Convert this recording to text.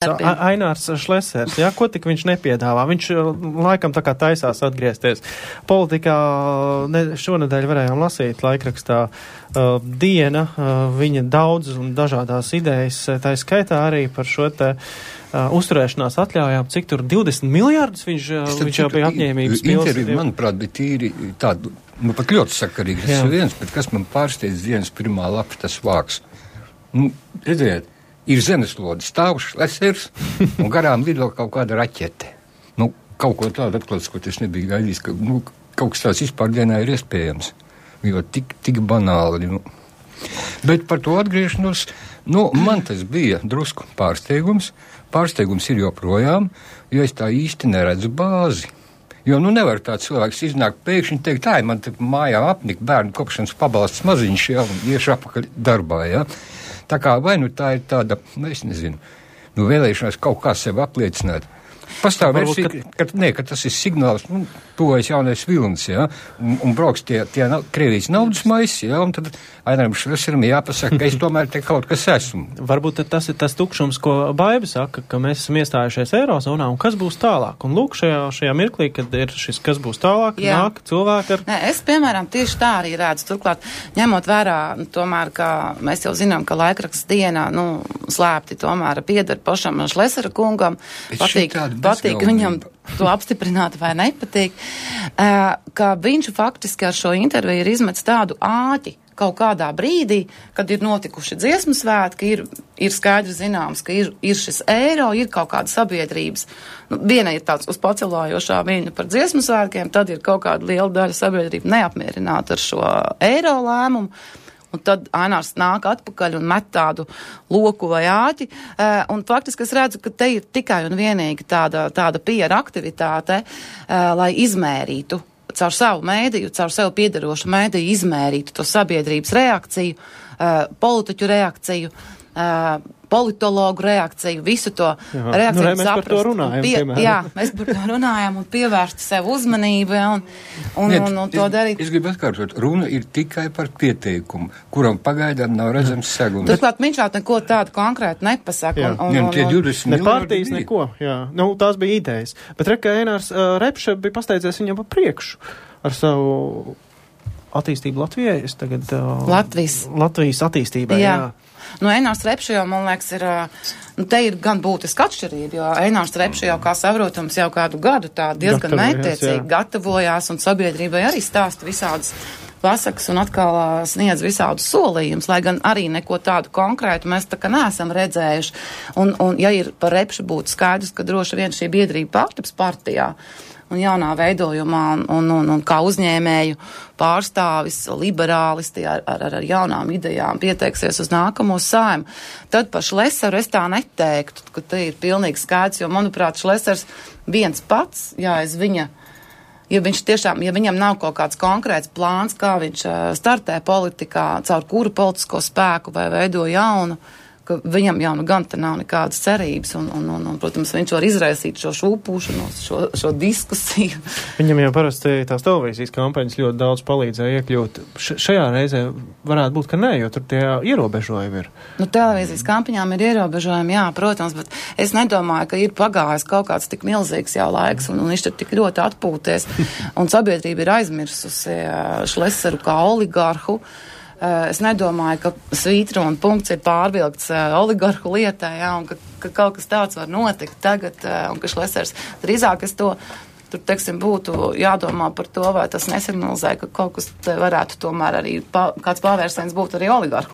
Ainārs Šlesers, jā, ko tik viņš nepiedāvā? Viņš laikam tā kā taisās atgriezties. Politikā šonedēļ varējām lasīt laikrakstā Diena, viņa daudz un dažādās idejas, tā skaitā arī par šo te uzturēšanās atļaujām, cik tur 20 miljārdus viņš jau bija apņēmības pils. Intervija, manuprāt, bija tīri tādu, pat ļoti sakarīgi. Tas ir viens, bet kas man pārsteidz dienas pirmā lapa, tas vārks. Redziet, ir zemeslode stāv Šlesers un garām lido kaut kāda raķete. Kaut ko tādu atklāts, ko es nebiju gaidījis, ka kaut kas tāds vispār dienā ir iespējams. Jo tik banāli. Bet par to atgriešanos, man tas bija drusku pārsteigums. Pārsteigums ir joprojām, jo es tā īsti neredzu bāzi. Jo nevar tāds cilvēks iznākt pēkšņi teikt, man te mājā apnika bērnu kopšanas pabalsts maziņš, un iešu apakaļ darbā, Tā kā vai tā ir tāda, es nezinu, vēlēšanās kaut kā sev apliecināt. Pastāv versija, ka tas ir signāls, tuvojas jaunais vilnis, un brauks tie Krievijas naudas maisi, un tad Aināram Šleseram jāpasaka, ka es tomēr te kaut kas esmu. Varbūt tas ir tas tukšums, ko Baiba saka, ka mēs esam iestājušies Eirozonā, un kas būs tālāk? Un lūk, šajā mirklī, kad ir šis, kas būs tālāk, nāk cilvēki ar... Es, piemēram, tieši tā arī redzu. Turklāt, ņemot vērā, tomēr, ka mēs jau zinām, ka laikraksts Dienā, slēpti tomēr pieder pašam Šlesera kungam, patīk viņam to apstiprināt vai nepatīk, ka viņš faktiski ar šo interviju ir izmetis tādu āķi kaut kādā brīdī, kad ir notikuši dziesmu svētki, ir skaidri zināms, ka ir šis eiro, ir kaut kāda sabiedrības. Viena ir tāds uz pacelājošā viņa par dziesmu svētkiem, tad ir kaut kāda liela daļa sabiedrība neapmierināta ar šo eiro lēmumu. Un tad Ainārs nāk atpakaļ un met tādu loku vai āķi. Un faktiski es redzu, ka te ir tikai un vienīgi tāda PR aktivitāte, lai izmērītu caur savu mēdīju, caur sev piederošu mēdīju, izmērītu to sabiedrības reakciju, politiķu reakciju, politologu reakciju, visu to reakciju mēs saprast. Par to runājam, mēs par to runājam un pievērstu sev uzmanību un to darīt. Es gribu atkārtot, runa ir tikai par pieteikumu, kuram pagaidām nav redzams segums. Turklāt viņš vēl neko tādu konkrētu nepasaka. Tie 20 ne partijas neko, tās bija idejas. Bet reka Ainārs Repše bija pasteidzies viņam pa priekšu ar savu attīstību Latvijai. Es tagad... Latvijas attīstībai, Ainārs Repše jau, man liekas, te ir gan būtiska atšķirība, jo Ainārs Repše jau, kā saprotams, jau kādu gadu tā diezgan mērķtiecīgi gatavojās un sabiedrībai arī stāsta visādas pasakas un atkal sniedz visādus solījumus, lai gan arī neko tādu konkrētu mēs tā kā neesam redzējuši. Un ja ir par Repši būtu skaidrs, ka droši vien šī biedrība pārtiks partijā un jaunā veidojumā un kā uzņēmēju pārstāvis, liberālisti ar jaunām idejām pieteiksies uz nākamo Saeimu, tad par Šleseru es tā neteiktu, ka te ir pilnīgi skaidrs, jo, manuprāt, Šlesers viens pats, aiz viņa, ja viņam nav kaut kāds konkrēts plāns, kā viņš startē politikā, caur kuru politisko spēku vai veido jaunu, ka viņam jau gan te nav nekādas cerības un, protams, viņš var izraisīt šo šūpūšanos, šo diskusiju. Viņam jau parasti tās televīzijas kampaņas ļoti daudz palīdzēja iekļūt. Šajā reizē varētu būt, ka nē, jo tur tie ierobežojumi ir. Televīzijas kampaņām ir ierobežojumi, jā, protams, bet es nedomāju, ka ir pagājis kaut kāds tik milzīgs jau laiks un viņš tur tik ļoti atpūties un sabiedrība ir aizmirsusi Šleseru kā oligarhu. Es nedomāju, ka svītra un punkts ir pārvilkts oligarhu lietai, un ka kaut kas tāds var notikt tagad, un ka Šlesers drīzāk tur, teiksim, būtu jādomā par to, vai tas nesignalizē, ka kaut kas te varētu tomēr arī kāds pavērsiens būt arī oligarhu